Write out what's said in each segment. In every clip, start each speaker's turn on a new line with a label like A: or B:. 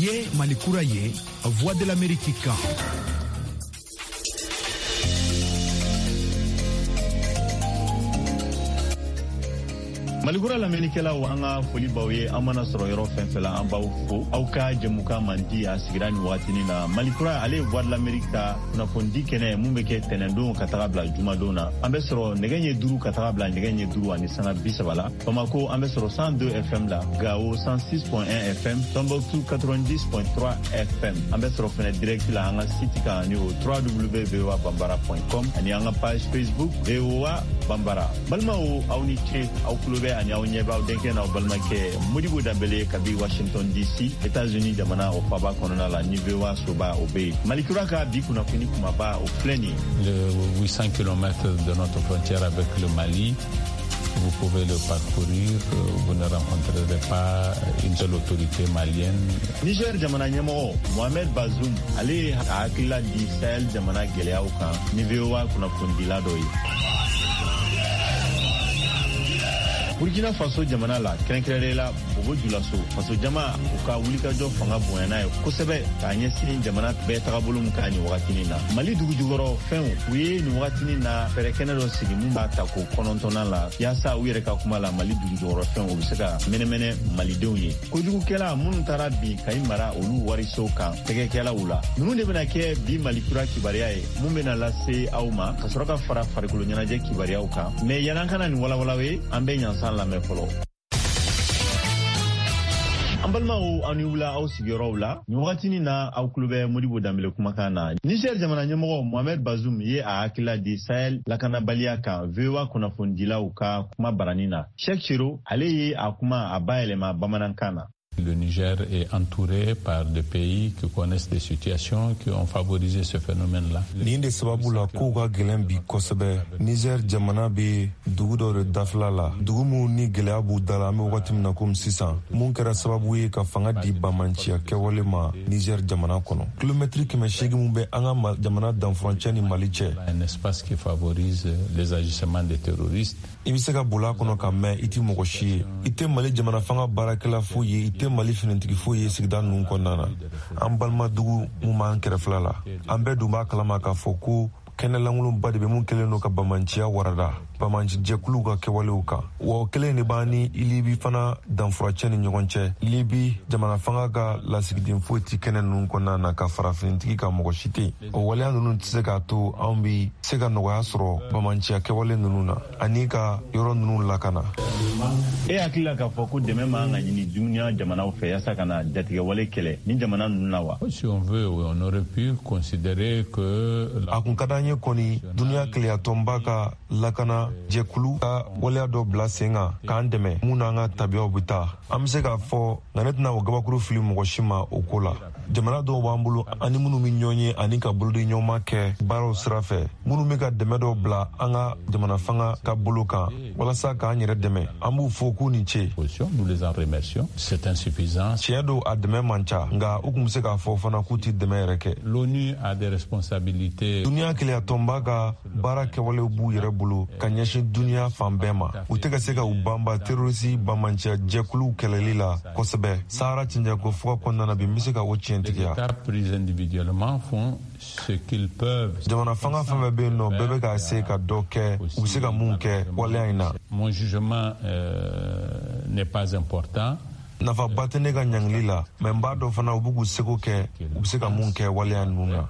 A: Nin ye Mali kura ye, Voix de l'Amérique kan.
B: Malikura lamɛnnikɛlaw, an ka foli b'aw ye. An mana sɔrɔ yɔrɔ fɛn fɛn la, an b'aw fo. Aw ka jɛmukan mandi, a sigira nin wagatinin na. Malikura, ale ye Voix de l'Amérique ka kunnafonidi kɛnɛ mun bɛ kɛ tɛnɛndon ka taga bila jumadon na. An bɛ sɔrɔ nɛgɛ ɲɛ 5 ka taga bila nɛgɛ ɲɛ 5:30 la. Bamako, an bɛ sɔrɔ 102 FM la, Gao 106.1 FM, Tombouctou 90.3 FM. An bɛ sɔrɔ fɛnɛ direct la an ka site kan, ni o www.voabambara.com, ani an ka page Facebook VOA Bambara. Balimaw, aw ni ce. Aw tulo bɛ ani aw ɲɛ b'aw denkɛ n'aw balimakɛ Modibo Danbele kabi Washington DC, États-Unis jamana, o faba kɔnɔna la, ni VOA soba o bɛ yen. Malikura ka bi kunnafoni kumaba, o filɛ nin
C: ye. Le 800 km de notre frontière avec le Mali, vous pouvez le parcourir, vous ne rencontrerez pas une seule autorité malienne.
B: Niger jamana ɲɛmɔgɔ Mohamed Bazoum, ale ye a hakilila di Sahel jamana gɛlɛyaw kan ni VOA kunnafonidila dɔ ye. Burkina Faso jamana la, kɛrɛnkɛrɛnnenya la Bobo Julaso, faso jama u ka wulikajɔ fanga bonyana ye kosɛbɛ k'a ɲɛsin jamana bɛɛ tagabolo min ka nin wagatinin na. Mali dugujukɔrɔ fɛnw, u ye nin wagatinin na fɛɛrɛ kɛnɛ dɔ sigi mun b'a ta ko 9nan la, yaasa u yɛrɛ ka kuma la, Mali dugujukɔrɔ fɛnw, u bɛ se ka mɛnɛmɛnɛ malidenw ye. Kojugukɛla minnu taara bin Kayi mara olu wariso kan, tɛgɛkɛlaw la, ninnu de bɛna kɛ bi Mali kura kibaruya ye mun bɛna lase aw ma, ka sɔrɔ ka fara farikolo ɲɛnajɛ kibaruyaw kan. Mɛ yan'an ka na nin walawalaw ye, an bɛ ɲansan lamɛn fɔlɔ. An balimaw, aw ni wula aw sigiyɔrɔw la. Nin wagatinin na, aw tulo bɛ Modibo Danbele kumakan na. Niger jamana ɲɛmɔgɔ Mohamed Bazoum ye a hakilila di Sahel lakanabaliya kan VOA kunnafonidilaw ka kuma barani na. Cheikh Chero, ale ye a kuma a bayɛlɛma bamanankan na.
C: Le Niger est entouré par des pays qui connaissent des situations qui ont favorisé ce phénomène-là.
D: Nin de sababu la, kow ka gɛlɛn bi kosɛbɛ. Niger jamana bɛ dugu dɔ de dafila la, dugu minnu ni gɛlɛya b'u da la an bɛ wagati min na komi sisan, mun kɛra sababu ye ka fanga di bamanciya kɛwale ma Niger jamana kɔnɔ. Kilomɛtiri 800 mun bɛ an ka jamana danfurancɛ ni Mali cɛ.
C: Un espace qui favorise les agissements des terroristes.
D: I bɛ se ka boli a kɔnɔ ka mɛn, i tɛ mɔgɔ si ye. I tɛ Mali jamana fanga baarakɛla foyi ye, i tɛ Mali finitigi foyi ye sigida ninnu kɔnɔna na. An balima dugu mun b'an kɛrɛfɛla la, an bɛɛ dun b'a kalama k'a fɔ ko kɛnɛ lankolonba de bɛ mun kɛlen don ka bamanciya warada bamanci jɛkuluw ka kɛwalew kan. Wa o kelen de b'an ni Libi fana danfuracɛ ni ɲɔgɔn cɛ. Libi jamana fanga ka lasigiden foyi tɛ kɛnɛ ninnu kɔnɔna na ka fara finitigi kan, mɔgɔ si tɛ yen. O waleya ninnu tɛ se k'a to anw bi se ka nɔgɔya sɔrɔ bamanciya kɛwale ninnu na ani ka yɔrɔ ninnu lakana.
B: E hakili la k'a fɔ ko dɛmɛ man ka ɲini duniya jamanaw fɛ yaasa ka na jatigɛwale kɛlɛ ni jamana ninnu na wa?
C: Si on veut, on aurait pu considérer que
D: A kun ka d'an ye kɔni, duniya kelenyatɔnba ka lakana jɛkulu ka waleya dɔ bila sen kan k'an dɛmɛ mun n'an ka tabiyaw bɛ taa. An bɛ se k'a fɔ, nka ne tɛna o gabakuru fili mɔgɔ si ma o ko la. Jamana dɔw b'an bolo ani minnu bɛ ɲɔgɔn ye ani ka bolodi ɲɔgɔnma kɛ baaraw sira fɛ, minnu bɛ ka dɛmɛ dɔw bila an ka jamana fanga ka bolo kan walasa k'an yɛrɛ dɛmɛ. An b'u fo k'u ni ce.
C: Nous les en remercions. C'est insuffisant.
D: Tiɲɛ don, a dɛmɛ man ca, nka u tun bɛ se k'a fɔ fana k'u tɛ dɛmɛ yɛrɛ kɛ.
C: L'ONU a des responsabilités.
D: Duniya kelenyatɔnba ka baara kɛwalew b'u yɛrɛ bolo ka ɲɛsin duniya fan bɛɛ ma. U tɛ ka se ka u banba terroriste bamanciya jɛkuluw kɛlɛli la kosɛbɛ Sahara cɛncɛnko fuga kɔnɔna na bi. N bɛ se ka o tiɲɛtigiya.
C: Les États pris individuellement font ce qu'ils peuvent.
D: Jamana fanga fɛn fɛn bɛ yen nɔ, bɛɛ bɛ ka se ka dɔ kɛ, u bɛ se ka mun kɛ waleya in na.
C: Mon jugement n'est pas important.
D: Nafaba tɛ ne ka ɲangili la, mɛ n b'a dɔn fana u b'u k'u seko kɛ, u bɛ se ka mun kɛ waleya ninnu na.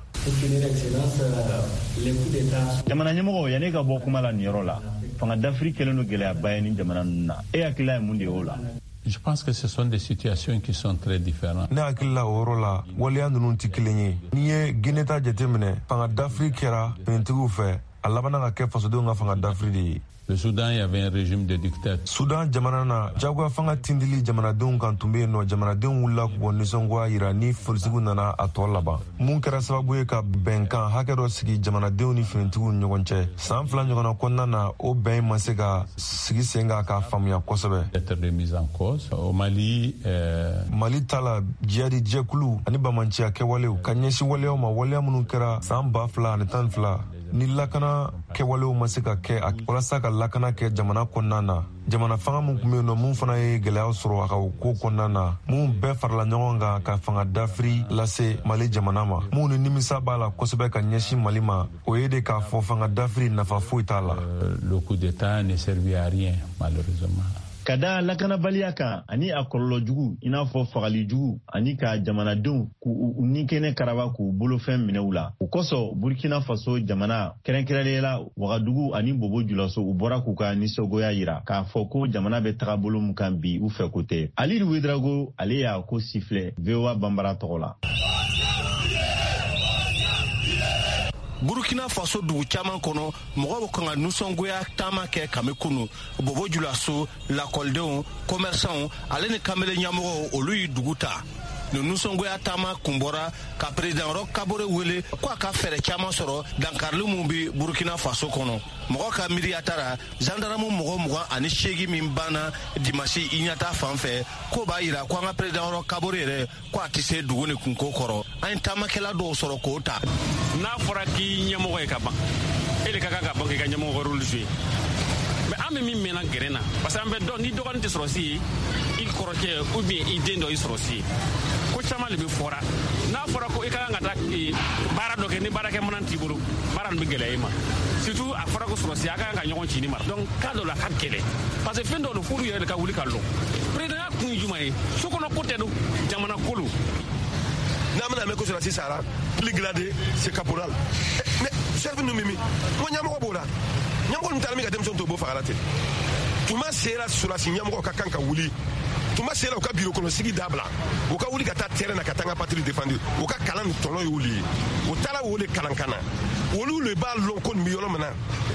B: Jamana ɲɛmɔgɔ, yanni ka bɔ kuma la nin yɔrɔ la, fanga dafiri kɛlen don gɛlɛyaba ye ni jamana ninnu na. E hakilila ye mun de ye o la?
C: Je pense que ce sont des situations qui sont très différentes.
D: Ne hakili la, o yɔrɔ la, waleya ninnu tɛ kelen ye. N'i ye Guinée ta jateminɛ, fanga dafiri kɛra finitigiw fɛ, a labanna ka kɛ fasodenw ka fanga dafiri de ye.
C: Le Soudan, il y avait un régime de dictature.
D: Sudan jamana na, jagoya fanga tindili jamanadenw kan tun bɛ yen nɔ. Jamanadenw wulila k'u bɔ nisɔngoya yira ni polisiw nana a tɔ laban, mun kɛra sababu ye ka bɛnkan hakɛ dɔ sigi jamanadenw ni finitigiw ni ɲɔgɔn cɛ. San 2 ɲɔgɔnna kɔnɔna na, o bɛn ma se ka sigi sen kan k'a faamuya kosɛbɛ.
C: Être remise en cause. Au Mali,
D: Mali ta la, jihadi jɛkulu ani bamanciya kɛwalew ka ɲɛsin waleyaw ma, waleya minnu kɛra san 2012. Ni lakana kɛwalew ma se ka kɛ walasa ka lakana kɛ jamana kɔnɔna na, jamana fanga min tun bɛ yen nɔ, mun fana ye gɛlɛya sɔrɔ a ka ko kɔnɔna na, mun bɛɛ farala ɲɔgɔn kan ka fanga dafiri lase Mali jamana ma, mun ni nimisa b'a la kosɛbɛ ka ɲɛsin Mali ma, o ye de k'a fɔ fanga dafiri nafa foyi t'a la.
C: Le coup d'État ne servit à rien, malheureusement.
B: Ka da lakanabaliya kan ani a kɔlɔlɔ jugu, i n'a fɔ fagali jugu ani ka jamanadenw k'u ni kɛnɛ karaba k'u bolofɛn minɛ u la, o kosɔn Burkina Faso jamana, kɛrɛnkɛrɛnnenya la Wagadugu ani Bobo Julaso, u bɔra k'u ka nisɔngoya yira k'a fɔ ko jamana bɛ taga bolo min kan bi, u fɛ ko tɛ. Alidu Wedrago, ale y'a ko sifilɛ VOA Banbara tɔgɔ la.
E: Burkina Faso dugu caman kɔnɔ, mɔgɔw bɛ kan ka nisɔngoya taama kɛ kami kunu. Bobo Julaso, lakɔlidenw, commerçants ale ni kamalen ɲɛmɔgɔw, olu ye dugu ta. Nin nisɔngoya taama kun bɔra ka président Roch Kabore wele ko a ka fɛɛrɛ caman sɔrɔ dankarili mun bɛ Burkina Faso kɔnɔ. Mɔgɔ ka miiriya taara gendarme mɔgɔ 28 min banna dimasi Iɲata fan fɛ, k'o b'a yira ko an ka président Roch Kabore yɛrɛ ko a tɛ se dugu ni kunko kɔrɔ. An ye taamakɛla dɔw sɔrɔ k'o ta.
F: N'a fɔra k'i ɲɛmɔgɔ ye ka ban, e de ka kan ka ban k'i ka ɲɛmɔgɔ rôle jouer. Mais an bɛ min mɛnna gɛrɛn na, parce que an bɛ dɔn ni dɔgɔnin tɛ sɔrɔsi ye, i kɔrɔkɛ ou bien i den dɔ i sɔrɔsi ye. Ko caman de bɛ fɔra. N'a fɔra ko i ka kan ka taa baara dɔ kɛ, ni baarakɛ minɛn t'i bolo, baara nin bɛ gɛlɛya i ma. Surtout a fɔra ko sɔrɔsi a ka kan ka ɲɔgɔn ci ni mara. Donc cas dɔ la a ka gɛlɛn, parce que fɛn dɔw don f'olu yɛrɛ de ka wuli ka lɔ. Président kun ye jumɛn ye? So kɔnɔ ko tɛ don, jamana ko don.
G: N'a bɛna mɛn ko sɔrɔsi sara, plus gradé c'est caporal. Mais chef ninnu bɛ min? N ko ɲɛmɔgɔ b'o la. Ɲɛmɔgɔ ninnu taara min ka denmisɛnw to, o b'o fagala ten. Tuma sera sɔrɔsi ɲɛmɔgɔ ka kan ka wuli. Tuma sera u ka biro kɔnɔ sigi dabila, u ka wuli ka taa terrain na ka taa n ka patrouille défendre. U ka kalan nin tɔnɔ y'olu ye, u taara o de kalan ka na, olu de b'a lɔn ko nin bɛ yɔrɔ min na.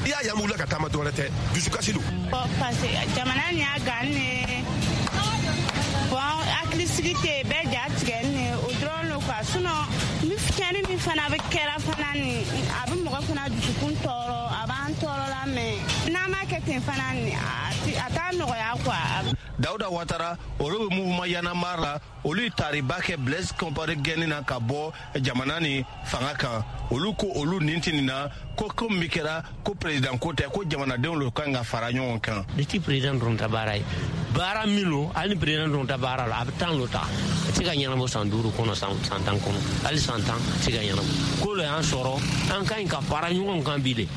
G: I y'a ye, an wulila ka taama, dɔwɛrɛ tɛ, dusukasi don.
H: Parce que jamana nin y'a gan ne, bon, hakilisigi tɛ yen, bɛɛ ja tigɛ ne, o dɔrɔn lo quoi. Sinon ni tiɲɛni min fana bɛ kɛra fana nin, a bɛ mɔgɔ fana dusukun tɔɔrɔ, a b'an tɔɔrɔ la, mais n'an m'a kɛ ten fana nin, a t'a nɔgɔya quoi.
E: Dawuda Watara, olu bɛ mouvement Y'en a marre la, olu ye tariba kɛ Blaise Compaoré gɛnni na ka bɔ jamana ni fanga kan. Olu ko olu nin tɛ nin na ko ko min kɛra ko président ko tɛ, ko jamanadenw de kan ka fara ɲɔgɔn kan.
I: Ne ti président dɔrɔn ta baara ye, baara min don, hali ni président dɔrɔn ta baara la, a bɛ temps dɔ ta, a tɛ se ka ɲɛnabɔ san 5 kɔnɔ, san 10 kɔnɔ, hali san 10 a tɛ se ka ɲɛnabɔ. Ko dɔ y'an sɔrɔ, an ka ɲi ka fara ɲɔgɔn kan bi de,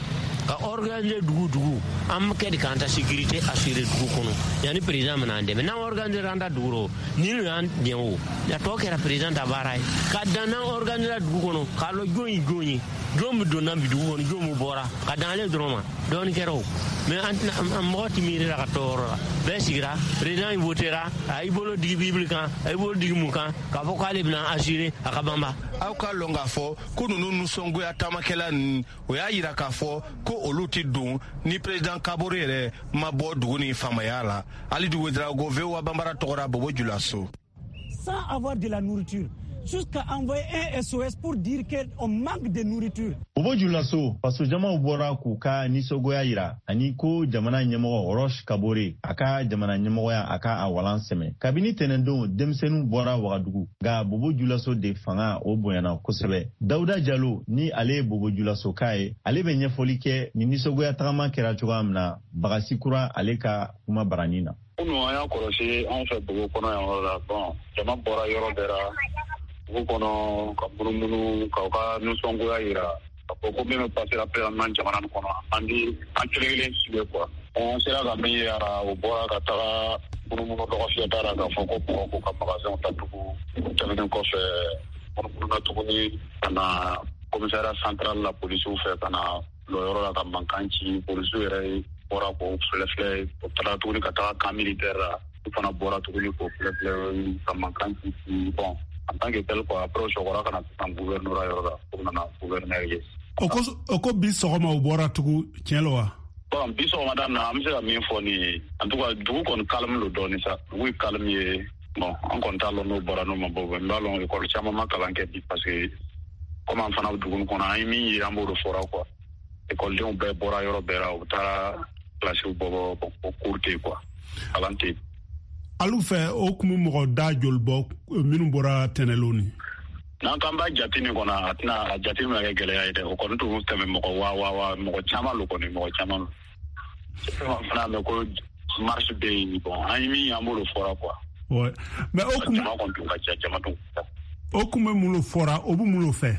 I: ka organiser dugu dugu, an kɛ de k'an ta sécurité assurer dugu kɔnɔ yanni président bɛna an dɛmɛ. N'an organiser an ta dugu rɔ, ni n'u y'an dɛmɛ o, a tɔ kɛra président ta baara ye. Ka dan n'an organiser dugu kɔnɔ k'a lɔn jɔn ye jɔn ye, jɔn bɛ donna bi dugu kɔnɔ, jɔn bɛ bɔra, ka dan ale dɔrɔn ma, dɔɔni kɛra o. Mais an tɛna an mɔgɔ ti miiri la ka tɔ yɔrɔ la, bɛɛ sigira, président votera, a y'i bolo digi Bible kan, a y'i bolo digi mun kan, k'a fɔ k'ale bɛna assurer a ka banba.
E: Aw ka lɔn k'a fɔ ko ninnu nisɔngoya taamakɛla ninnu, o y'a yira k'a fɔ ko olu tɛ don ni président Kabore yɛrɛ ma bɔ dugu ni faamaya la. Alidu Wedrago, VOA Banbara tɔgɔra, Bobo Julaso.
J: Sans avoir de la nourriture, jusqu'à envoyer un SOS pour dire qu'on manque de nourriture.
B: Bobo Julaso, fasojamaw bɔra k'u ka nisɔngoya yira ani ko jamana ɲɛmɔgɔ Roch Kabore, a ka jamana ɲɛmɔgɔya, a ka a walan sɛmɛ. Kabini tɛnɛndon, denmisɛnninw bɔra Wagadugu, nka Bobo Julaso de fanga o bonyana kosɛbɛ. Dawuda Jalo, ni ale ye Bobo Julaso ka ye, ale bɛ ɲɛfɔli kɛ ni nisɔngoya tagama kɛra cogoya min na Bagasi Kura, ale ka kuma barani na.
K: Kunu an y'a kɔlɔsi anw fɛ dugu kɔnɔ yan yɔrɔ la, bon, jama bɔra yɔrɔ bɛɛ la dugu kɔnɔ ka munumunu k'aw ka nisɔngoya yira ka fɔ ko min bɛ pasera présentement jamana nin kɔnɔ, an di an kelen kelen sigi quoi. An sera ka min ye a, o bɔra ka taga munumunu dɔgɔfiyɛda la k'a fɔ ko mɔgɔw k'u ka magasinw datugu. O tɛmɛnen kɔfɛ, munumunu tuguni ka na commissariat central la polisiw fɛ, ka na lɔ yɔrɔ la ka mankan ci. Polisiw yɛrɛ bɔra k'o filɛ filɛ. O taara tuguni ka taga camp militaire la, u fana bɔra tuguni k'o filɛ filɛ ka mankan ci. Bon, en tant que tel quoi, après o sɔgɔra ka na sisan gouvernorat yɔrɔ la, o nana gouverneur ye.
L: O ko bi sɔgɔma u bɔra tugun, tiɲɛ lo wa?
K: Bon, bi sɔgɔmada na, an bɛ se ka min fɔ nin ye, en tout cas dugu kɔni calme lo dɔɔni sa, dugu ye calme ye. Bon, an kɔni t'a lɔn n'o bɔra n'o ma bɔ, n b'a lɔn école caman ma kalan kɛ bi, parce que comme an fana bɛ dugu kɔnɔ, an ye min ye, an b'o de fɔra quoi. Ekɔlidenw bɛɛ bɔra yɔrɔ bɛɛ la, u taara kilasiw bɔ bɔ, bon, cours tɛ yen quoi, kalan tɛ yen.
L: Alu fɛ, o kun bɛ mɔgɔ da joli bɔ minnu bɔra tɛnɛlon ni?
K: N'an k'an b'a jate nin kɔnɔ, a tɛna a jate bɛna kɛ gɛlɛya ye dɛ. O kɔni tun tɛmɛ mɔgɔ wa mɔgɔ caman lo kɔni, mɔgɔ caman lo. Fana mɛn ko marche bɛ yen, bon, an ye min an b'olu fɔra quoi.
L: Ouais. Mais o kun
K: jama kɔni tun ka ca, jama tun ka ca.
L: O kun bɛ mun lo fɔra, o bɛ mun lo fɛ?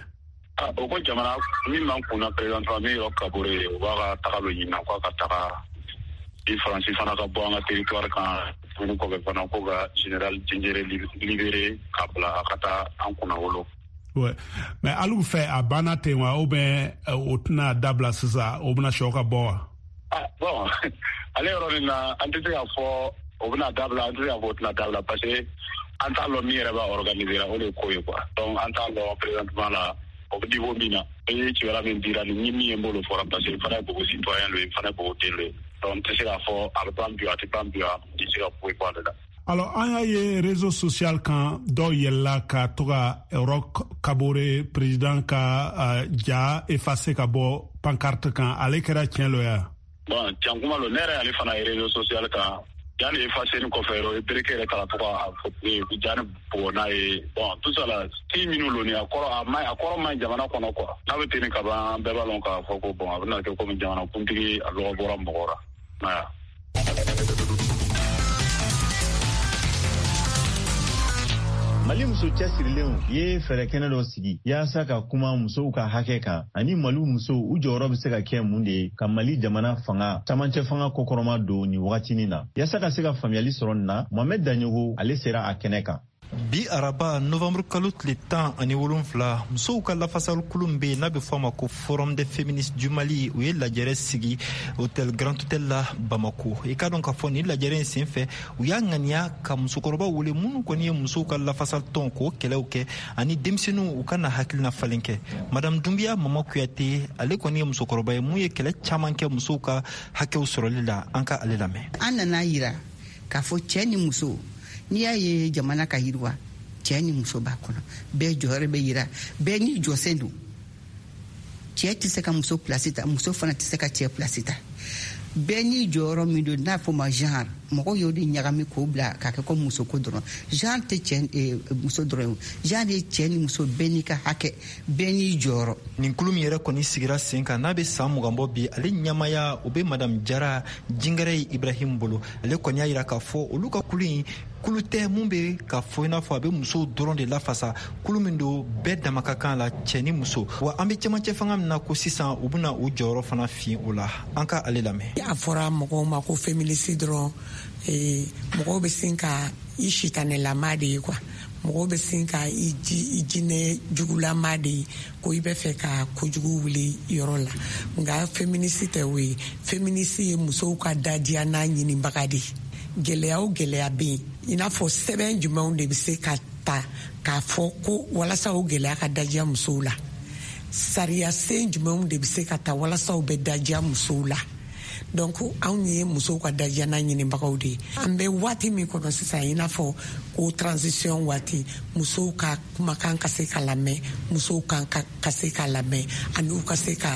K: O ko jamana min b'an kunna présentement, min ye Kabore ye, o b'a ka taga lo ɲinina k'a ka taga i Faransi fana ka bɔ an ka territoire kan. Tuguni kɔfɛ fana, ko ka général Diendéré libéré k'a bila a ka taa an kunna wolo.
L: Ouais. Mais alu fɛ a banna ten wa, ou bien o tɛna dabila sisan, o bɛna sɔ ka bɔ wa?
K: Ah, bon, ale yɔrɔ nin na, an tɛ se k'a fɔ o bɛna dabila, an tɛ se k'a fɔ o tɛna dabila, parce que an t'a lɔn min yɛrɛ b'a organiser, o de ye ko ye quoi. Donc an t'a lɔn présentement la o bɛ niveau min na. E ye kibaruya min dira ni min ye, n b'o fɔra, parce que n fana ye Bobo citoyen lo ye, n fana ye Bobo den lo ye. Donc n tɛ se k'a fɔ a bɛ ban bi, a tɛ ban bi, n tɛ se ka foyi fɔ ale la.
L: Alors, an y'a ye réseau social kan, dɔw yɛlɛla ka to ka Roch Kabore président ka ja effacer ka bɔ pancarte kan. Ale kɛra tiɲɛ lo ya?
K: Bon, can kuma lo, ne yɛrɛ y'ale fana ye réseau social kan. Ja ni effacer ni kɔfɛ yɔrɔ, i bereke yɛrɛ taara to ka fɔ ja ni bugɔ n'a ye. Bon, tout ça la, si minnu lo ni a kɔrɔ, a ma, a kɔrɔ man ɲi jamana kɔnɔ quoi. N'a bɛ ten ka ban, bɛɛ b'a lɔn k'a fɔ ko bon, a bɛna kɛ komi jamana kuntigi a lɔgɔ bɔra mɔgɔ ra.
B: Mali muso cɛsirilenw ye fɛɛrɛ kɛnɛ dɔ sigi yaasa ka kuma musow ka hakɛ kan, ani Mali musow u jɔyɔrɔ bɛ se ka kɛ mun de ye ka Mali jamana fanga camancɛ fanga kɔkɔrɔma don nin wagatinin na. Yaasa ka se ka faamuyali sɔrɔ nin na, Mohamed Daɲogo ale sera a kɛnɛ kan.
M: Bi araba novembre kalo tile 17, musow ka lafasalikulu min bɛ yen n'a bɛ fɔ a ma ko Forum des féministes du Mali, u ye lajɛrɛ sigi hôtel Grand Hôtel la Bamako. I k'a dɔn k'a fɔ nin lajɛrɛ in senfɛ, u y'a ŋaniya ka musokɔrɔbaw wele minnu kɔni ye musow ka lafasalitɔn k'o kɛlɛw kɛ, ani denmisɛnninw u ka na hakilina falen kɛ. Madame Dunbiya Mama Kuyate, ale kɔni ye musokɔrɔba ye mun ye kɛlɛ caman kɛ musow ka hakɛw sɔrɔli la. An ka ale lamɛn.
N: An nana yira k'a fɔ cɛ ni muso, n'i y'a ye jamana ka yiriwa, cɛ ni muso b'a kɔnɔ, bɛɛ jɔyɔrɔ bɛ yira, bɛɛ n'i jɔsen don. Cɛ tɛ se ka muso place ta, muso fana tɛ se ka cɛ place ta. Bɛɛ n'i jɔyɔrɔ min don, n'a fɔ ma genre, mɔgɔw y'o de ɲagami k'o bila k'a kɛ ko muso ko dɔrɔn. Genre tɛ cɛ muso dɔrɔn ye, genre ye cɛ ni muso, bɛɛ n'i ka hakɛ, bɛɛ n'i jɔyɔrɔ.
M: Nin kulu min yɛrɛ kɔni sigira sen kan n'a bɛ san 20 bɔ bi, ale ɲɛmaaya o bɛ Madame Jara Jingɛrɛ Ibrahim bolo. Ale kɔni y'a yira k'a fɔ olu ka kulu in kulu tɛ mun bɛ k'a fɔ i n'a fɔ a bɛ musow dɔrɔn de lafasa, kulu min don bɛɛ dama ka kan la, cɛ ni muso. Wa an bɛ cɛmancɛ fanga min na ko sisan, u bɛna u jɔyɔrɔ fana fin o la. An ka ale lamɛn.
O: A fɔra mɔgɔw ma ko féministe dɔrɔn, mɔgɔw bɛ sin ka i sitanɛlama de ye quoi, mɔgɔw bɛ sin ka i jinɛ jugulama de ye, ko i bɛ fɛ ka kojugu wuli yɔrɔ la. Nka féministe tɛ o ye. Féministe ye musow ka dadiya n'a ɲinibaga de ye. Gɛlɛya o gɛlɛya bɛ yen, i n'a fɔ sɛbɛn jumɛnw de bɛ se ka ta k'a fɔ ko walasa o gɛlɛya ka dajiya musow la, sariya sen jumɛnw de bɛ se ka ta walasa o bɛ dajiya musow la. Donc anw ye musow ka dajiyana ɲinibagaw de ye. An bɛ waati min kɔnɔ sisan, i n'a fɔ ko transition waati, musow ka kumakan ka se ka lamɛn, musow kan ka se ka lamɛn, ani u ka se ka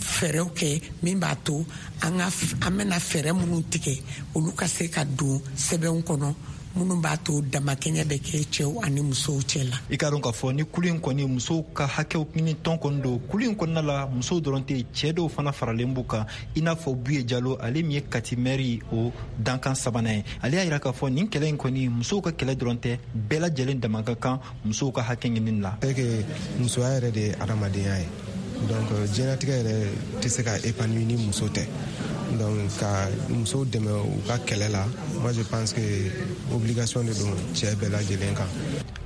O: fɛɛrɛw kɛ min b'a to an bɛna fɛɛrɛ minnu tigɛ, olu ka se ka don sɛbɛnw kɔnɔ minnu b'a to damakɛɲɛ bɛ kɛ cɛw ani musow cɛ la.
M: I k'a dɔn k'a fɔ ni kulu in kɔni musow ka hakɛw ɲini tɔn kɔni don. Kulu in kɔnɔna la, musow dɔrɔn tɛ, cɛ dɔw fana faralen b'u kan, i n'a fɔ Buye Jalo, ale min ye Kati mɛri o dankan sabanan ye. Ale y'a yira k'a fɔ nin kɛlɛ in kɔni musow ka kɛlɛ dɔrɔn tɛ, bɛɛ lajɛlen dama ka kan musow ka hakɛ ɲinini la.
P: C'est que musoya yɛrɛ de ye adamadenya ye. Donc diɲɛlatigɛ yɛrɛ tɛ se ka épanouir ni muso tɛ. Donc ka musow dɛmɛ u ka kɛlɛ la, moi je pense que obligation de don cɛ bɛɛ lajɛlen kan.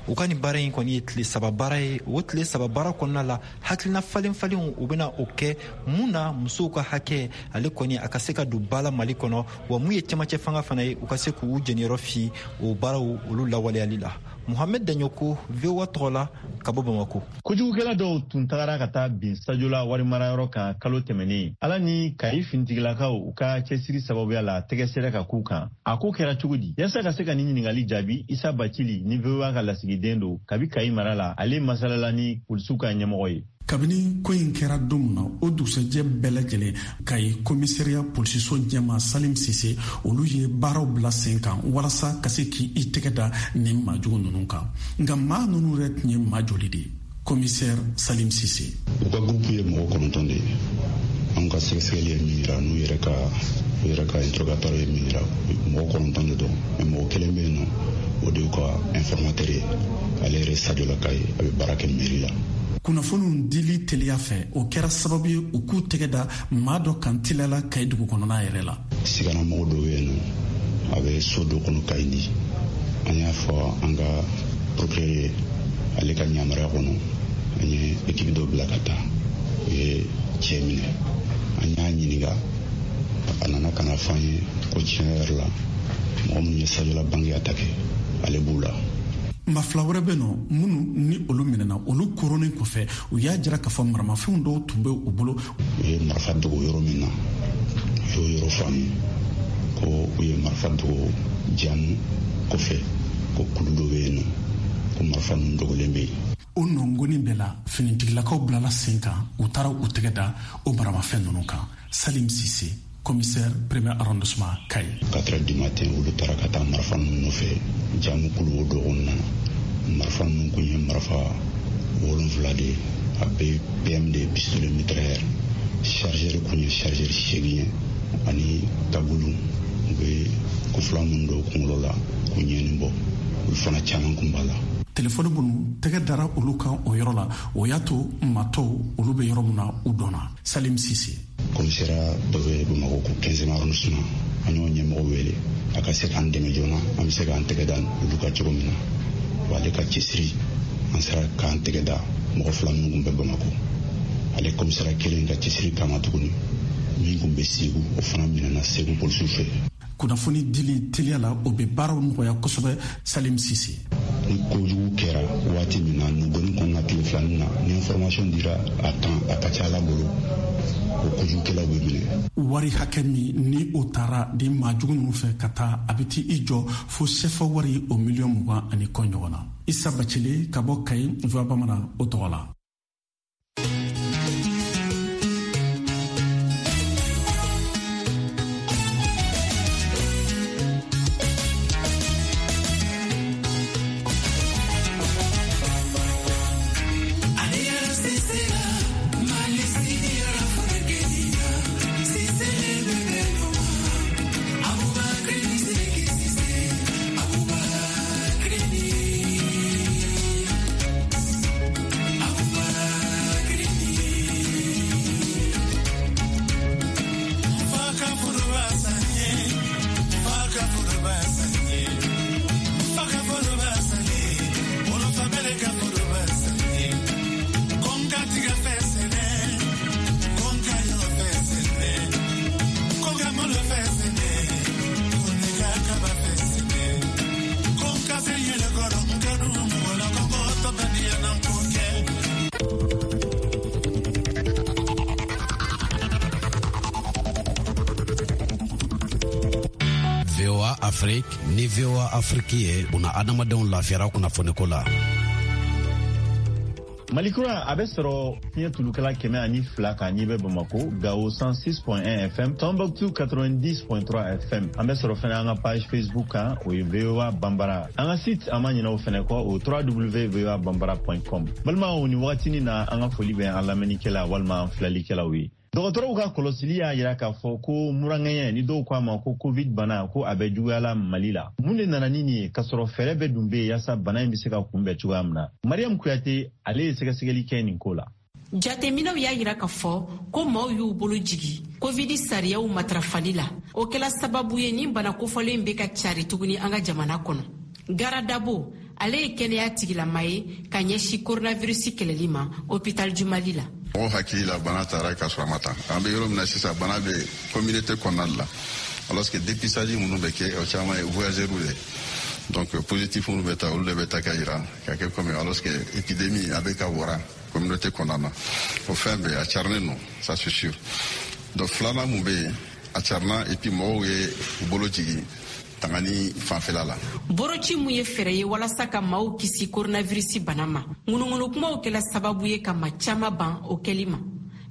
M: U ka nin baara in kɔni ye tile 3 baara ye. O tile 3 baara kɔnɔna la, hakilina falen falenw u bɛna o kɛ mun na musow ka hakɛ ale kɔni a ka se ka don ba la Mali kɔnɔ, wa mun ye cɛmancɛ fanga fana ye, u ka se k'u jɛniyɔrɔ fi o baaraw olu lawaleyali la. Mohamed Daɲoko, VOA tɔgɔ la ka bɔ Bamako.
B: Kojugukɛla dɔw tun tagara ka taa bin Sajola warimarayɔrɔ kan kalo tɛmɛnen. Ala ni Kayi finitigilakaw u ka cɛsiri sababuya la, tɛgɛ sera ka k'u kan. A ko kɛra cogo di? Yaasa ka se ka nin ɲininkali jaabi, Isa Bacili ni VOA ka lasigiden don kabi Kayi mara la, ale masalala ni polisiw ka ɲɛmɔgɔ ye.
L: Kabini ko in kɛra don min na, o dugusɛjɛ bɛɛ lajɛlen, Kayi komisariya polisiso ɲɛma Salim Sise, olu ye baaraw bila sen kan walasa ka se k'i tɛgɛ da nin maajugu ninnu kan. Nka maa ninnu yɛrɛ tun ye maa joli de ye? Commissaire Salim Sise.
Q: U ka groupe ye mɔgɔ 9 de ye. Anw ka sɛgɛsɛgɛli ye min yira, n'u yɛrɛ ka interrogatoire ye min yira, mɔgɔ 9 de don. Mais mɔgɔ kelen bɛ yen nɔ, o de y'u ka informateur ye. Ale yɛrɛ Sadiolaka ye, a bɛ baara kɛ mairie la.
L: Kunnafoniw dili teliya fɛ, o kɛra sababu ye u k'u tɛgɛ da maa dɔ kan teliya la Kayi dugu kɔnɔna yɛrɛ la.
Q: Siganamɔgɔ dɔ bɛ yen nɔ, a bɛ so dɔ kɔnɔ Kayi di. An y'a fɔ an ka procureur ye, ale ka yamaruya kɔnɔ, an ye équipe dɔ bila ka taa. U ye cɛ minɛ. An y'a ɲininka, a nana ka na fɔ an ye ko tiɲɛ yɛrɛ la, mɔgɔ minnu ye Sadiola banque attaqué, ale b'u la.
L: Maa fila wɛrɛ bɛ nɔ minnu ni olu minɛna, olu koronnen kɔfɛ, u y'a jira k'a fɔ maramafɛnw dɔw tun bɛ u bolo.
Q: U ye marifa dogo yɔrɔ min na, u y'o yɔrɔ fɔ an ye ko u ye marifa dogo jamu kɔfɛ, ko kulu dɔ bɛ yen nɔ, ko marifa ninnu dogolen bɛ yen.
L: O nɔngɔni bɛɛ la, finitigilakaw bilala sen kan, u taara u tɛgɛ da o maramafɛn ninnu kan. Salim Sise, commissaire premier arrondissement Kayi.
Q: 4 heures du matin, olu taara ka taa marifa ninnu nɔfɛ jamu kulu o dɔgɔnin nana. Marifa ninnu kun ye marifa 7 de ye, a bɛɛ PM de ye, pistolet mitrailleur. Chargeur kun ye chargeur 8 ye, ani tabulu, u bɛ kofila minnu don kunkolo la k'u ɲɛni bɔ, olu fana caman kun b'a la.
L: Telefɔni minnu tɛgɛ dara olu kan o yɔrɔ la, o y'a to matɔw olu bɛ yɔrɔ min na, u dɔnna. Salim Sise.
Q: Commissariat dɔ bɛ Bamakɔ ko 15e arrondissement, an y'o ɲɛmɔgɔ wele a ka se k'an dɛmɛ joona, an bɛ se k'an tɛgɛ da olu kan cogo min na. Wa ale ka cɛsiri, an sera k'an tɛgɛ da mɔgɔ 2 minnu kun bɛ Bamakɔ. Ale commissariat kelen ka cɛsiri kama tuguni, min kun bɛ Segu, o fana minɛna Segu polisiw fɛ.
L: Kunnafoni dili teliya la, o bɛ baaraw nɔgɔya kosɛbɛ. Salim Sise.
Q: Ni kojugu kɛra waati min na, nugɔni kɔnɔna tile filanin na, ni information dira a temps, a ka ca Ala bolo, o kojugukɛlaw bɛ minɛ.
L: Wari hakɛ min ni o taara di maajugu ninnu fɛ ka taa, a bɛ t'i jɔ fo sefa wari o miliyɔn 20 ani kɔ ɲɔgɔn na. Isa Bacile ka bɔ Kayi, VOA Bamanan o tɔgɔ la.
R: VOA Afrique ni VOA Afrique ye buna adamadenw lafiyara kunnafoniko la.
B: Malikura a bɛ sɔrɔ fiɲɛ tulukala 102 kan n'i bɛ Bamako, Gao 106.1 FM, Tombouctou 90.3 FM. An bɛ sɔrɔ fɛnɛ an ka page Facebook kan, o ye VOA Bambara. An ka site, an ma ɲinɛ o fɛnɛ kɔ, o www.voabambara.com. Balimaw, nin wagatinin na, an ka foli bɛ an lamɛnnikɛla walima an filɛlikɛlaw ye. Dɔgɔtɔrɔw ka kɔlɔsili y'a yira k'a fɔ ko muraŋɛɲɛ ni dɔw ko a ma ko covid bana, ko a bɛ juguyala Mali la. Mun de nana ni nin ye k'a sɔrɔ fɛɛrɛ bɛɛ dun bɛ yen yaasa bana in bɛ se ka kunbɛn cogoya min na? Mariam Kuyate, ale ye sɛgɛsɛgɛli kɛ nin ko la.
S: Jateminɛw y'a yira k'a fɔ ko maaw y'u bolo jigi covid sariyaw matarafali la. O kɛla sababu ye nin bana kofɔlen bɛ ka cari tuguni an ka jamana kɔnɔ. Gara Dabo, ale ye kɛnɛya tigilama ye ka ɲɛsin coronavirus kɛlɛli ma hôpital du Mali la.
T: Mɔgɔw hakili la bana taara k'a sɔrɔ a ma taa. An bɛ yɔrɔ min na sisan, bana bɛ communauté kɔnɔna de la. Alors que dépistage minnu bɛ kɛ, o caman ye voyageurs de. Donc positif minnu bɛ taa, olu de bɛ taa ka yira ka kɛ comme, alors que épidémie a bɛ ka wara communauté kɔnɔna na. O fɛn bɛɛ a carinen don, ça c'est sûr. Donc filanan mun bɛ yen, a carina et puis mɔgɔw ye u bolo jigin. tangani fanfɛla la.
S: Boroci mun ye fɛɛrɛ ye walasa ka maaw kisi coronavirus bana ma, ŋunuŋunu kumaw kɛla sababu ye ka maa caman ban o kɛli ma.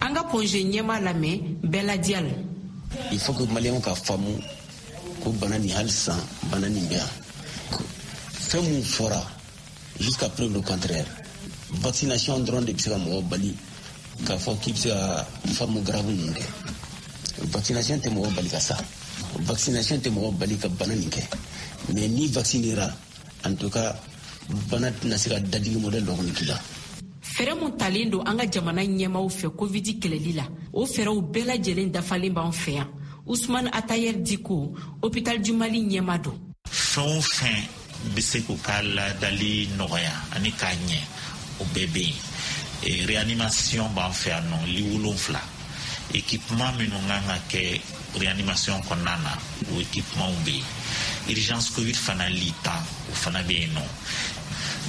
S: An ka Point G ɲɛmaa lamɛn Bɛɛ Diallo.
U: Il faut que Maliyɛnw ka faamu ko bana nin hali sisan bana nin bɛ yan. Fɛn mun fɔra jusqu'à preuve du contraire, vaccination dɔrɔn de bɛ se ka mɔgɔ bali k'a fɔ k'i bɛ se ka forme grave ninnu kɛ. Vaccination tɛ mɔgɔ bali ka sa, vaccination tɛ mɔgɔ bali ka bana nin kɛ, mais n'i vaccinera, en tout cas bana tɛna se ka dadigi modèle dɔ kɔni k'i la.
S: Fɛɛrɛ mun talen don an ka jamana ɲɛmaaw fɛ COVID kɛlɛli la, o fɛɛrɛw bɛɛ lajɛlen dafalen b'an fɛ yan. Usman Atayer Diko, Hôpital du Mali ɲɛmaa don.
V: Fɛn o fɛn bɛ se k'u ka ladali nɔgɔya ani k'a ɲɛ, o bɛɛ bɛ yen. Réanimation b'an fɛ yan nɔ, lit 7. Équipement minnu kan ka kɛ réanimation kɔnɔna na, o équipement bɛ yen. Urgence COVID fana lit 10, o fana bɛ yen nɔ.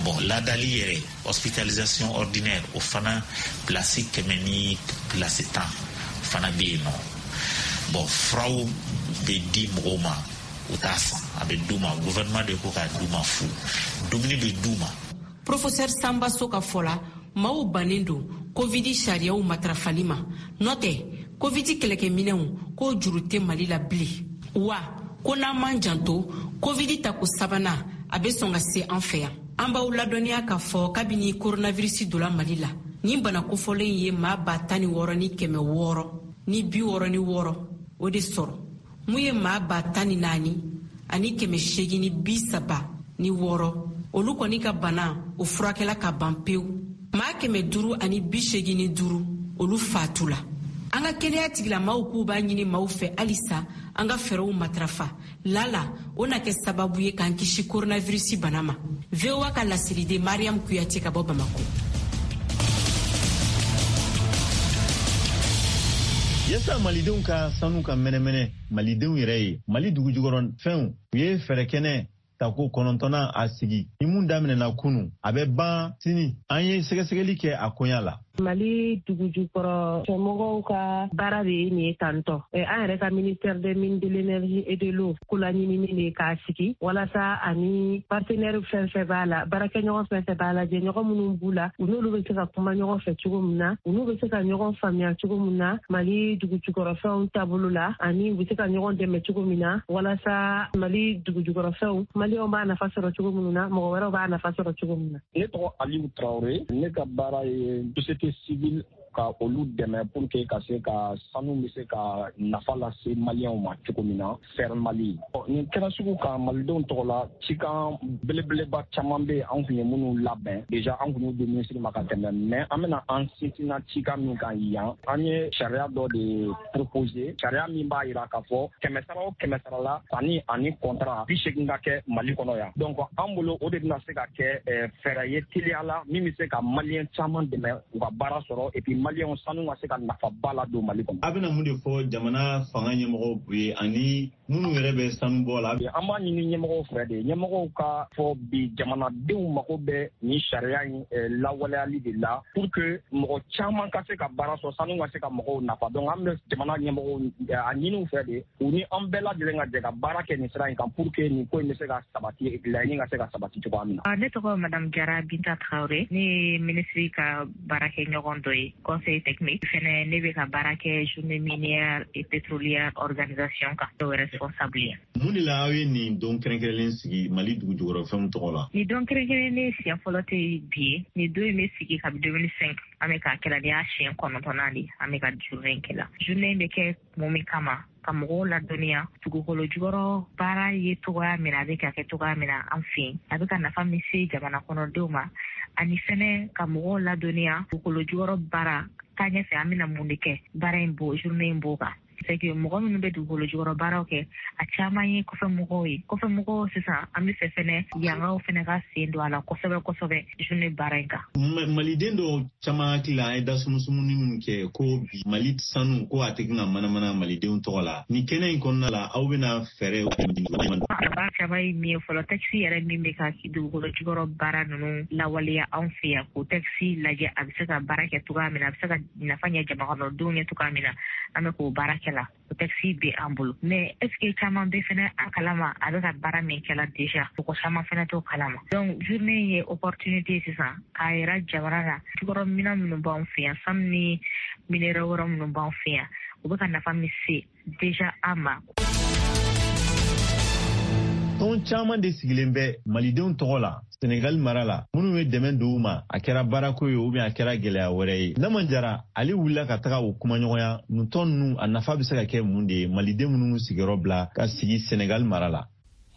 V: Bon, ladali yɛrɛ, hospitalisation ordinaire, o fana place 100 ni place 10 fana bɛ yen nɔ. Bon, furaw bɛ di mɔgɔw ma, u t'a san, a bɛ d'u ma, gouvernement de ko k'a d'u ma fu. Dumuni bɛ d'u ma.
S: Professeur Samba So ka fɔ la, maaw bannen don COVID sariyaw matarafali ma. N'o tɛ, COVID kɛlɛkɛminɛnw k'o juru tɛ Mali la bilen. Wa ko n'an m'an janto, COVID tako sabanan a bɛ sɔn ka se an fɛ yan. An b'aw ladɔnniya k'a fɔ kabini coronavirus donna Mali la, nin bana kofɔlen ye maa 16,666 o de sɔrɔ. Mun ye maa 14,836, olu kɔni ka bana o furakɛla ka ban pewu. Maa 585, olu fatula. An ka kɛnɛya tigilamaw k'u b'a ɲini maaw fɛ halisa an ka fɛɛrɛw matarafa. Lala o na kɛ sababu ye k'an kisi coronavirus bana ma. VOA ka laseliden Mariam Kuyate ka bɔ Bamako.
B: Yasa malidenw ka sanu ka mɛnɛmɛnɛ malidenw yɛrɛ ye, Mali dugujukɔrɔ fɛnw u ye fɛɛrɛ kɛnɛ tako 9nan a sigi ni mun daminɛna kunu, a bɛ ban sini. An ye sɛgɛsɛgɛli kɛ a koɲa la.
W: Mali dugujukɔrɔ fɛnmɔgɔw ka baara de ye nin ye tantɔ. An yɛrɛ ka ministère des mines, de l'énergie et de l'eau ko laɲinini de k'a sigi walasa ani partenaire fɛn fɛn b'a la, baarakɛɲɔgɔn fɛn fɛn b'a la, jɛɲɔgɔn minnu b'u la, u n'olu bɛ se ka kuma ɲɔgɔn fɛ cogo min na, u n'u bɛ se ka ɲɔgɔn faamuya cogo min na Mali dugujukɔrɔfɛnw taabolo la, ani u bɛ se ka ɲɔgɔn dɛmɛ cogo min na walasa Mali dugujukɔrɔfɛnw maliyɛnw b'a nafa sɔrɔ cogo minnu na, mɔgɔ wɛrɛw b'a nafa sɔrɔ cogo min na.
X: Ne tɔgɔ Aliou Traoré, ne ka baara ye société civile ka olu dɛmɛ pour que ka se ka sanu bɛ se ka nafa lase maliyɛnw ma cogo min na, Faire Mali. Nin kɛra sugu kan malidenw tɔgɔ la, cikan belebeleba caman bɛ yen an kun ye minnu labɛn déjà, an kun y'u di minisiri ma ka tɛmɛ, mais an bɛna an sinsinna cikan min kan yan, an ye sariya dɔ de proposer, sariya min b'a yira k'a fɔ 100 sara o 100 sara la, sanni ani contrat 80 ka kɛ Mali kɔnɔ yan. Donc an bolo o de bɛna se ka kɛ fɛɛrɛ ye teliya la min bɛ se ka maliyɛn caman dɛmɛ u ka baara sɔrɔ, et puis maliyɛnw sanu ka se ka nafaba ladon Mali kɔnɔ.
B: A bɛna mun de fɔ jamana fanga ɲɛmɔgɔw ye ani minnu yɛrɛ bɛ sanu bɔ la?
X: An b'a ɲini ɲɛmɔgɔw fɛ de, ɲɛmɔgɔw ka fɔ bi jamanadenw mago bɛ nin sariya in lawaleyali de la pour que mɔgɔ caman ka se ka baara sɔrɔ, sanu ka se ka mɔgɔw nafa. Donc an bɛ jamana ɲɛmɔgɔw a ɲini u fɛ de, u ni an bɛɛ lajɛlen ka jɛ ka baara kɛ nin sira in kan pour que nin ko in bɛ se ka sabati, laɲini ka se ka sabati cogoya min na.
Y: Ne tɔgɔ Madame Jara Binta Traoré, ne ye ministre ka baarakɛɲɔgɔn dɔ ye, conseil technique fɛnɛ. Ne bɛ ka baara kɛ journée minière et pétrolière organisation kan, o responsable ye.
B: Mun de la aw ye nin don kɛrɛnkɛrɛnlen sigi Mali dugujukɔrɔfɛnw tɔgɔ la?
Y: Nin don kɛrɛnkɛrɛnnen siɲɛ fɔlɔ tɛ bi ye. Nin don in bɛ sigi kabi 2005, an bɛ k'a kɛla. Nin y'a siɲɛ 9nan de an bɛ ka journée in kɛla. Journée in bɛ kɛ mun min kama? Ka mɔgɔw ladɔnniya dugukolo jukɔrɔ baara ye cogoya min na, a bɛ ka kɛ cogoya min na an fɛ yen, a bɛ ka nafa min se jamana kɔnɔdenw ma, ani fɛnɛ ka mɔgɔw ladɔnniya dugukolo jukɔrɔ baara taa ɲɛfɛ, an bɛna mun de kɛ. Baara in bo journée in b'o kan. C'est que mɔgɔ minnu bɛ dugukolo jukɔrɔ baaraw kɛ, a caman ye kɔfɛ mɔgɔw ye. Kɔfɛ mɔgɔw sisan, an bɛ fɛ fɛnɛ yankaw fɛnɛ ka sen don a la kosɛbɛ kosɛbɛ journée baara in kan.
B: Maliden dɔw caman hakili la, an ye dasumusumuni min kɛ ko bi Mali sanu ko a tɛ ka manamana malidenw tɔgɔ la, nin kɛnɛ in kɔnɔna la aw bɛna fɛɛrɛ?
Y: Baara caman ye min ye fɔlɔ, texte yɛrɛ min bɛ ka dugukolo jukɔrɔ baara ninnu lawaleya anw fɛ yan, k'o texte lajɛ, a bɛ se ka baara kɛ cogoya min na, a bɛ se ka nafa ɲɛ jamakɔnɔdenw ye cogoya min na. An bɛ k'o baara kɛ la, o texte bɛ an bolo. Mais est ce que caman bɛ fɛnɛ a kalama a bɛ ka baara min kɛla déjà? Mɔgɔ caman fɛnɛ t'o kalama. Donc journée in ye opportunité sisan k'a yira jamana na, jukɔrɔ minan minnu b'an fɛ yan, sanu ni minerai wɛrɛ minnu b'an fɛ yan, u bɛ ka nafa min se déjà an ma.
B: Tɔn caman de sigilen bɛ malidenw tɔgɔ la Senegali mara la, minnu ye dɛmɛ don u ma, a kɛra baarako ye ou bien a kɛra gɛlɛya wɛrɛ ye. Nama Jara, ale wulila ka taga o kumaɲɔgɔnya. Nin tɔn ninnu, a nafa bɛ se ka kɛ mun de ye maliden minnu sigiyɔrɔ bila ka sigi Senegali mara la?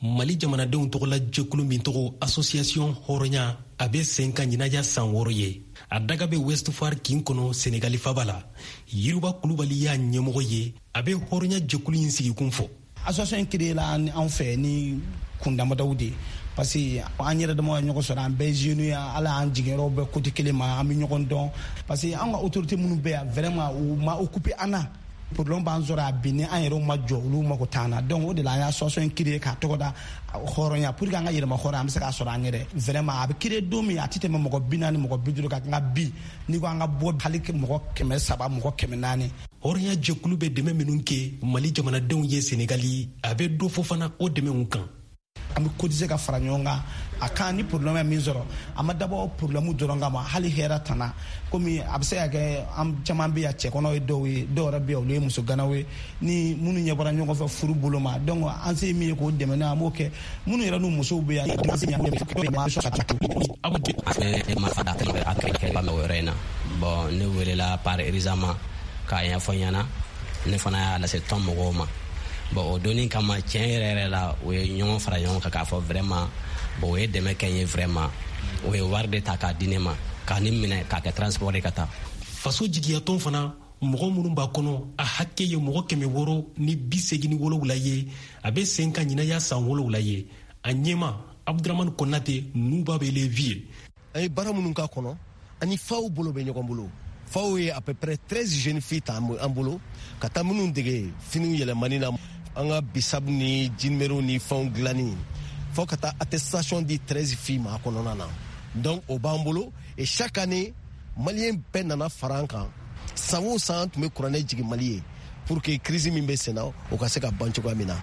A: Mali jamanadenw tɔgɔla jɛkulu min tɔgɔ Association Hɔrɔnya, a bɛ sen kan ɲinan y'a san 6 ye. A daga bɛ Ouest Foire kin kɔnɔ, Senegali faba la. Yiriba Kulubali y'a ɲɛmɔgɔ ye. A bɛ hɔrɔnya jɛkulu in sigikun fɔ.
C: Association in créé la anw fɛ ni kun damadɔw de, parce que an yɛrɛ dama ka ɲɔgɔn sɔrɔ, an bɛɛ jeunes ye, ala y'an jiginyɔrɔ bɛɛ côté kelen ma, an bɛ ɲɔgɔn dɔn, parce que an ka autorité minnu bɛ yan, vraiment u ma occupé an na. Problème b'an sɔrɔ a bi, ni an yɛrɛw ma jɔ, olu mako t'an na. Donc o de la an ye association in créé k'a tɔgɔ da hɔrɔnya, pour que an ka yɛlɛma hɔrɔnya, an bɛ se k'a sɔrɔ an yɛrɛ. Vraiment a bɛ créé don min, a tɛ tɛmɛ mɔgɔ 40, mɔgɔ 50 kan. Nka bi, n'i ko an ka bɔ, hali mɔgɔ 300, mɔgɔ 400.
A: Hɔrɔnya jɛkulu bɛ dɛmɛ minnu kɛ Mali jamanadenw ye Senegali, a bɛ dɔ fɔ fana o dɛmɛw kan.
C: An bɛ cotiser ka fara ɲɔgɔn kan a kan ni problème ye min sɔrɔ. A ma dabɔ problème dɔrɔn kama, hali hɛrɛ tana, komi a bɛ se ka kɛ an caman bɛ yan, cɛkɔnɔw ye dɔw ye, dɔw yɛrɛ bɛ yan, olu ye muso ganaw ye, ni minnu ɲɛ bɔra ɲɔgɔn fɛ furu bolo ma. Donc an se ye min ye k'o dɛmɛ n'a, an b'o kɛ. Minnu yɛrɛ n'u musow bɛ yan.
D: Bon, ne welela par Erizama k'a ɲɛfɔ n ɲɛna, ne fana y'a lase tɔn mɔgɔw ma. Bon, o donni kama, tiɲɛ yɛrɛ yɛrɛ la, u ye ɲɔgɔn fara ɲɔgɔn kan k'a fɔ vraiment, bon, u ye dɛmɛ kɛ n ye. Vraiment, u ye wari de ta k'a di ne ma, k'a ni minɛ k'a kɛ transport ye ka taa.
A: Faso jigiyatɔn fana, mɔgɔ minnu b'a kɔnɔ, a hakɛ ye mɔgɔ 687 ye. A bɛ sen kan ɲinan y'a san 7 ye. A ɲɛma Abdramane Konate, n'u b'a wele Vieux.
F: An ye baara minnu k'a kɔnɔ, ani faw bolo bɛ ɲɔgɔn bolo. Faw ye à peu près 13 jeunes filles ta an bolo ka taa minnu dege finiw yɛlɛmani na, an ka bisabu ni jinimɛriw ni fɛnw dilanni, fo ka taa attestation di 13 filles ma a kɔnɔna na. Donc o b'an bolo. Et chaque année, maliyɛn bɛɛ nana fara an kan. San o san, an tun bɛ kuranɛ jigin Mali ye pour que crise min bɛ sen na, o ka se ka ban cogoya min na.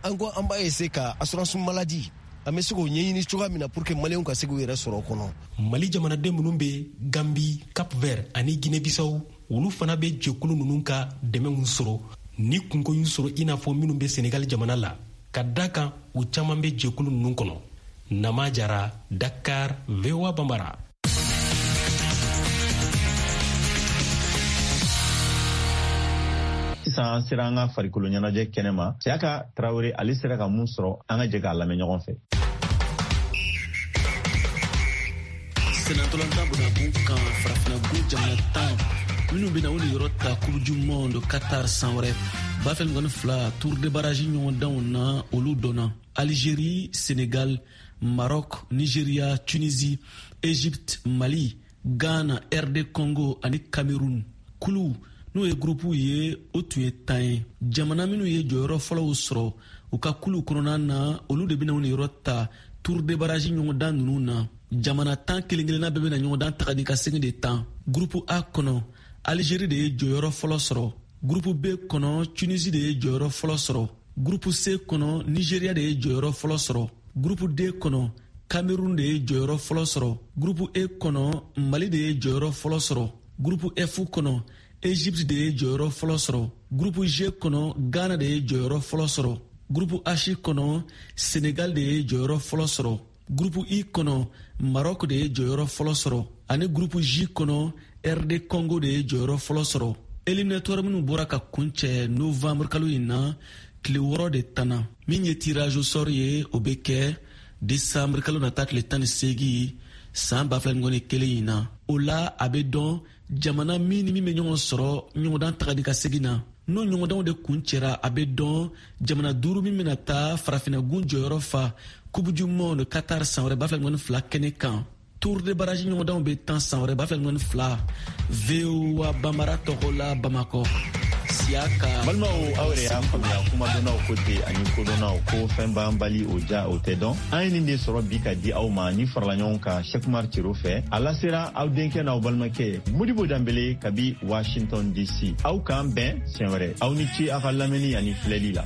F: An ko an b'a essayer ka assurance maladie, an bɛ se k'o ɲɛɲini cogoya min na pour que maliyɛnw ka se k'u yɛrɛ sɔrɔ o kɔnɔ.
A: Mali jamanaden minnu bɛ Gambi, Cap Vert ani Guinée Bissau, olu fana bɛ jɛkulu ninnu ka dɛmɛw sɔrɔ ni kunko y'u sɔrɔ, i n'a fɔ minnu bɛ Senegal jamana la, ka da kan u caman bɛ jɛkulu ninnu kɔnɔ. Nama Jara, Dakar, VOA Bambara.
B: Sisan an sera an ka farikolo ɲɛnajɛ kɛnɛ ma. Siyaka Tarawele, ale sera ka mun sɔrɔ, an ka jɛ k'a lamɛn ɲɔgɔn fɛ.
G: Senatɔlɔntan bonagun kan, farafinagun jamana 10 minnu bɛna u niyɔrɔ ta Coupe du monde Qatar san wɛrɛ 2022 tour de barrage ɲɔgɔndanw na, olu dɔnna: Algérie, Sénégal, Maroc, Nigeria, Tunisie, Égypte, Mali, Ghana, RD Congo ani Cameroun. Kulu n'o ye gurupuw ye, o tun ye 10 ye. Jamana minnu ye jɔyɔrɔ fɔlɔw sɔrɔ u ka kulu kɔnɔna na, olu de bɛna u niyɔrɔ ta tour de barrage ɲɔgɔndan ninnu na. Jamana 10 kelen kelenna bɛɛ bɛna ɲɔgɔndan taga ni ka segin de tan. Gurupu A kɔnɔ, Algérie de ye jɔyɔrɔ fɔlɔ sɔrɔ. Gurupu B kɔnɔ, Tunisie de ye jɔyɔrɔ fɔlɔ sɔrɔ. Gurupu C kɔnɔ, Nigeria de ye jɔyɔrɔ fɔlɔ sɔrɔ. Gurupu D kɔnɔ, Cameroun de ye jɔyɔrɔ fɔlɔ sɔrɔ. Gurupu E kɔnɔ, Mali de ye jɔyɔrɔ fɔlɔ sɔrɔ. Gurupu F kɔnɔ, Egypte de ye jɔyɔrɔ fɔlɔ sɔrɔ. Gurupu G kɔnɔ, Ghana de ye jɔyɔrɔ fɔlɔ sɔrɔ. Gurupu H kɔnɔ, Senegal de ye jɔyɔrɔ fɔlɔ sɔrɔ. Gurupu I kɔnɔ, Maroc de ye jɔyɔrɔ fɔlɔ sɔrɔ. Ani gurupu J kɔnɔ, RD Congo de ye jɔyɔrɔ fɔlɔ sɔrɔ. Éliminatoire minnu bɔra ka kuncɛ novembre kalo in na, tile 6 de tanna. Min ye tirage au sort ye, o bɛ kɛ décembre kalo nata tile 18 san 2021 in na. O la, a bɛ dɔn jamana min ni min bɛ ɲɔgɔn sɔrɔ ɲɔgɔndan taga ni ka segin na. N'o ɲɔgɔndanw de kuncɛra, a bɛ dɔn jamana 5 min bɛna taa farafinagun jɔyɔrɔ fa Coupe du monde Qatar san wɛrɛ 2022 kɛnɛ kan. Tour de barrage ɲɔgɔndanw bɛ tan san wɛrɛ 2022. VOA Bambara tɔgɔ la, Bamakɔ, Siyaka.
B: Balimaw, aw yɛrɛ y'a faamuya, kumadɔnnaw ko ten ani kodɔnnaw ko fɛn banbali, o ja o tɛ dɔn. An ye nin de sɔrɔ bi ka di aw ma ni farala ɲɔgɔn kan Sɛkumar Cero fɛ. A lasera aw denkɛ n'aw balimakɛ Modibo Danbele kabi Washington DC. Aw k'an bɛn siɲɛ wɛrɛ. Aw ni ce aw ka lamɛnni ani filɛli la.